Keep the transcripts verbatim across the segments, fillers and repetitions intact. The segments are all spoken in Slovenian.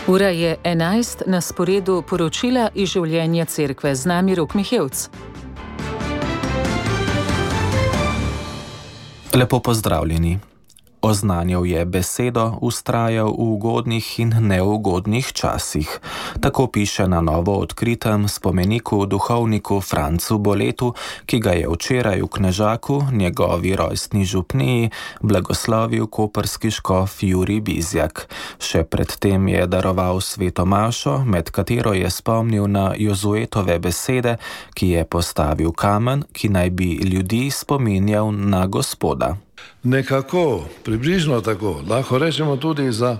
Ura je enajst, na sporedu poročila iz življenja cerkve. Z nami Rok Mihevc. Lepo pozdravljeni. Oznanjal je besedo, vztrajal v ugodnih in neugodnih časih. Tako piše na novo odkritem spomeniku duhovniku Francu Boletu, ki ga je včeraj v Knežaku, njegovi rojstni župniji, blagoslovil koprski škof Jurij Bizjak. Še predtem je daroval sveto mašo, med katero je spomnil na Jozuetove besede, ki je postavil kamen, ki naj bi ljudi spominjal na Gospoda. Nekako, približno tako, lahko rečemo tudi za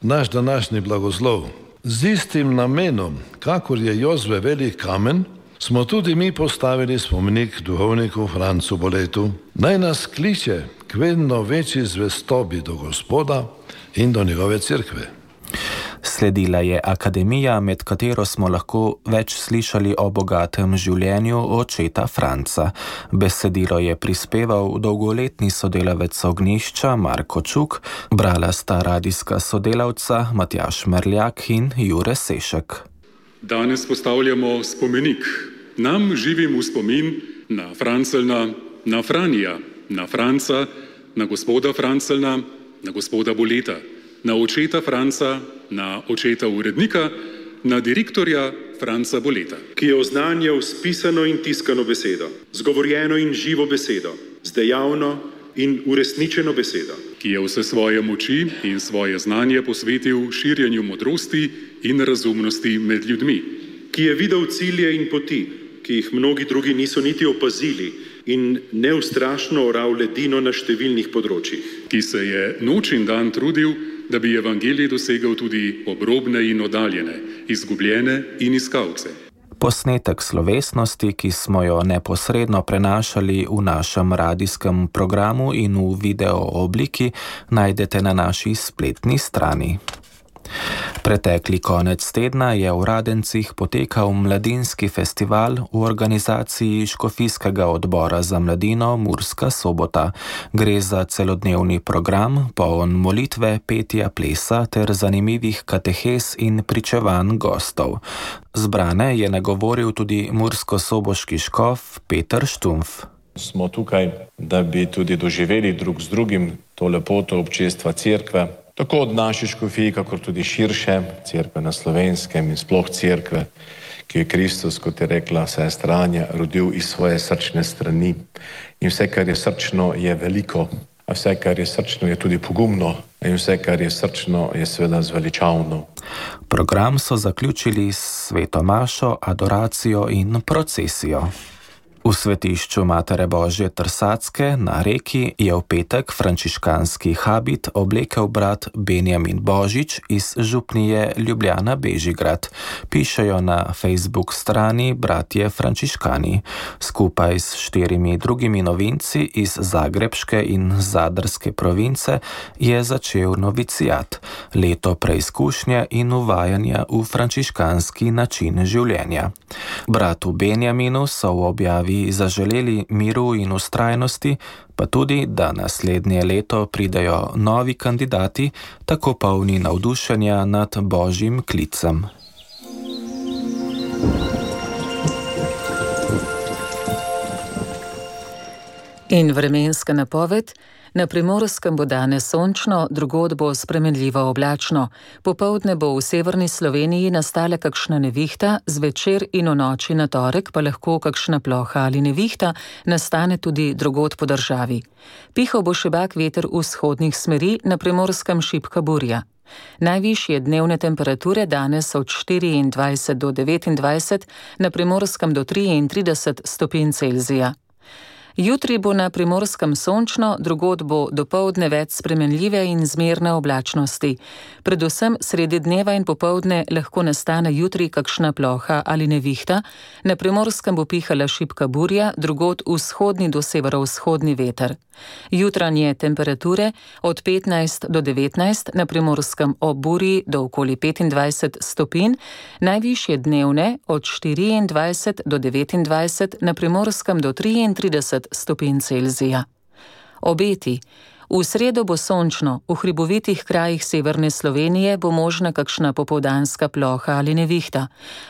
naš današnji blagoslov. Z istim namenom, kakor je Jozue velik kamen, smo tudi mi postavili spomenik duhovniku Francu Boletu. Naj nas kliče k vedno večji zvestobi do Gospoda in do njegove cerkve. Sledila je akademija, med katero smo lahko več slišali o bogatem življenju očeta Franca. Besedilo je prispeval dolgoletni sodelavec Ognjišča Marko Čuk, brala sta radijska sodelavca Matjaž Merljak in Jure Sešek. Danes postavljamo spomenik nam živim v spomin na Francelna, na Franija, na Franca, na gospoda Francelna, na gospoda Boleta, na očeta Franca, na očeta urednika, na direktorja Franca Boleta, ki je oznanjal s pisano in tiskano besedo, z govorjeno in živo besedo, z dejavno in uresničeno besedo, ki je vse svoje moči in svoje znanje posvetil širjenju modrosti in razumnosti med ljudmi, ki je videl cilje in poti, ki jih mnogi drugi niso niti opazili, in neustrašno oral ledino na številnih področjih, ki se je noč in dan trudil, da bi evangelij dosegel tudi obrobne in oddaljene, izgubljene in iskalce. Posnetek slovesnosti, ki smo jo neposredno prenašali v našem radijskem programu in v video obliki, najdete na naši spletni strani. Pretekli konec tedna je v Radencih potekal mladinski festival v organizaciji Škofijskega odbora za mladino Murska Sobota. Gre za celodnevni program, poln molitve, petja, plesa ter zanimivih katehes in pričevanj gostov. Zbrane je nagovoril tudi murskosoboški škof Peter Štumf. Smo tukaj, da bi tudi doživeli drug z drugim to lepoto občestva cerkve, tako od naše škofije, kakor tudi širše, cerkve na Slovenskem in sploh cerkve, ki je Kristus, kot je rekla sestra Anja, rodil iz svoje srčne strani. In vse, kar je srčno, je veliko, a vse, kar je srčno, je tudi pogumno, in vse, kar je srčno, je seveda zveličavno. Program so zaključili s sveto mašo, adoracijo in procesijo. V svetišču Matere Božje Trsatske na Reki je v petek frančiškanski habit oblekel brat Benjamin Božič iz župnije Ljubljana Bežigrad, pišejo na Facebook strani Bratje frančiškani. Skupaj s štirimi drugimi novinci iz Zagrebške in Zadarske province je začel novicijat, leto preizkušnje in uvajanja v frančiškanski način življenja. Bratu Benjaminu so v objavi zaželeli miru in vztrajnosti, pa tudi, da naslednje leto pridejo novi kandidati, tako polni navdušenja nad Božjim klicem. In vremenska napoved. Na Primorskem bo danes sončno, drugod bo spremenljivo oblačno. Popoldne bo v severni Sloveniji nastala kakšna nevihta, zvečer in v noči na torek pa lahko kakšna ploha ali nevihta nastane tudi drugod po državi. Pihal bo šibak veter vzhodnih smeri, na Primorskem šibka burja. Najvišje dnevne temperature danes od štiriindvajset do devetindvajset, na Primorskem do triintrideset stopinj Celzija. Jutri bo na Primorskem sončno, drugod bo dopoldne več spremenljive in zmerne oblačnosti. Predvsem sredi dneva in popoldne lahko nastane jutri kakšna ploha ali nevihta, na Primorskem bo pihala šibka burja, drugod vzhodni do severovzhodni veter. Jutranje temperature od petnajst do devetnajst, na Primorskem ob burji do okoli petindvajset stopinj, najvišje dnevne od štiriindvajset do devetindvajset, na Primorskem do triintrideset stopinj Celzija. Obeti. V sredo bo sončno, v hribovitih krajih severne Slovenije bo možna kakšna popoldanska ploha ali nevihta.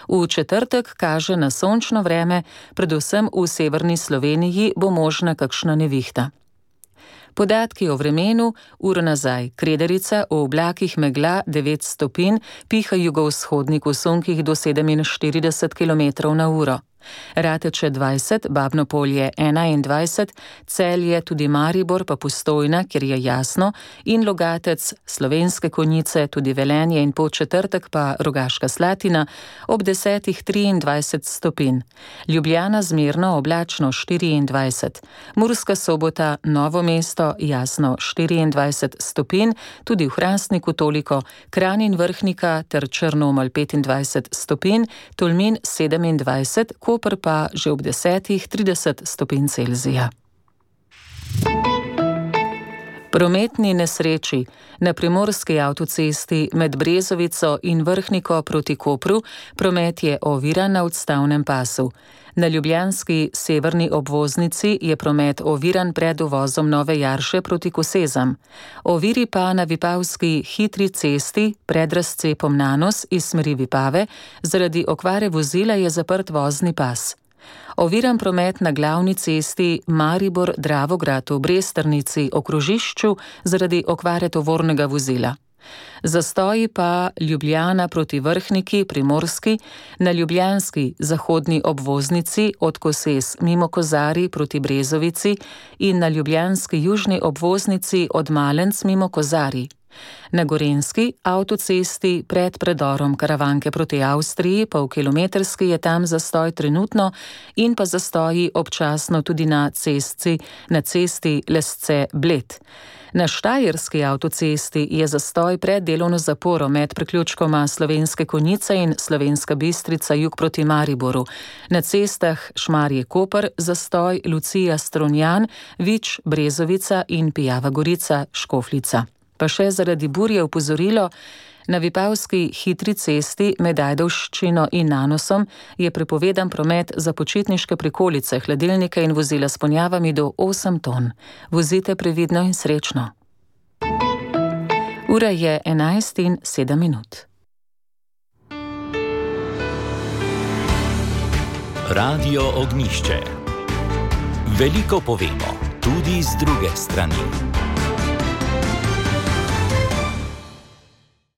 V četrtek kaže na sončno vreme, predvsem v severni Sloveniji bo možna kakšna nevihta. Podatki o vremenu, uro nazaj, Kredarica, v oblakih megla devet stopinj, piha jugovzhodnik v sunkih do sedeminštirideset kilometrov na uro. Rateče dvajset, Babno Polje enaindvajset, Celje, tudi Maribor pa Postojna, kjer je jasno, in Logatec, Slovenske Konjice, tudi Velenje in Podčetrtek pa Rogaška Slatina, ob desetih triindvajset stopinj. Ljubljana zmerno oblačno štiriindvajset, Murska Sobota, Novo mesto jasno štiriindvajset stopinj, tudi v Hrastniku toliko, Kranj in Vrhnika ter Črnomelj petindvajset stopinj, Tolmin sedemindvajset, Koper pa že ob desetih trideset stopinj Celzija. Prometni nesreči. Na primorski avtocesti med Brezovico in Vrhniko proti Kopru promet je oviran na odstavnem pasu. Na ljubljanski severni obvoznici je promet oviran pred uvozom Nove Jarše proti Kosezam. Oviri pa na vipavski hitri cesti pred razcepom Nanos iz smeri Vipave, zaradi okvare vozila je zaprt vozni pas. Oviran promet na glavni cesti Maribor-Dravograd v Bresternici o krožišču zaradi okvare tovornega vozila. Zastoji pa Ljubljana proti Vrhniki, Primorski, na ljubljanski zahodni obvoznici od Kosez mimo Kozarij proti Brezovici in na ljubljanski južni obvoznici od Malenc mimo Kozarij. Na gorenjski avtocesti pred predorom Karavanke proti Avstriji, polkilometrski je tam zastoj trenutno in pa zastoji občasno tudi na cesti, na cesti Lesce-Bled. Na štajerski avtocesti je zastoj pred delovno zaporo med priključkoma Slovenske Konjice in Slovenska Bistrica jug proti Mariboru. Na cestah Šmarje-Koper zastoj Lucija-Strunjan, Vič, Brezovica in Pijava Gorica, Škofljica. Pa še zaradi burje opozorilo, na vipavski hitri cesti med Ajdovščino in Nanosom je prepovedan promet za počitniške prikolice, hladilnike in vozila s ponjavami do osem ton. Vozite previdno in srečno. Ura je enajst in sedem minut. Radio Ognjišče. Veliko povemo, tudi z druge strani.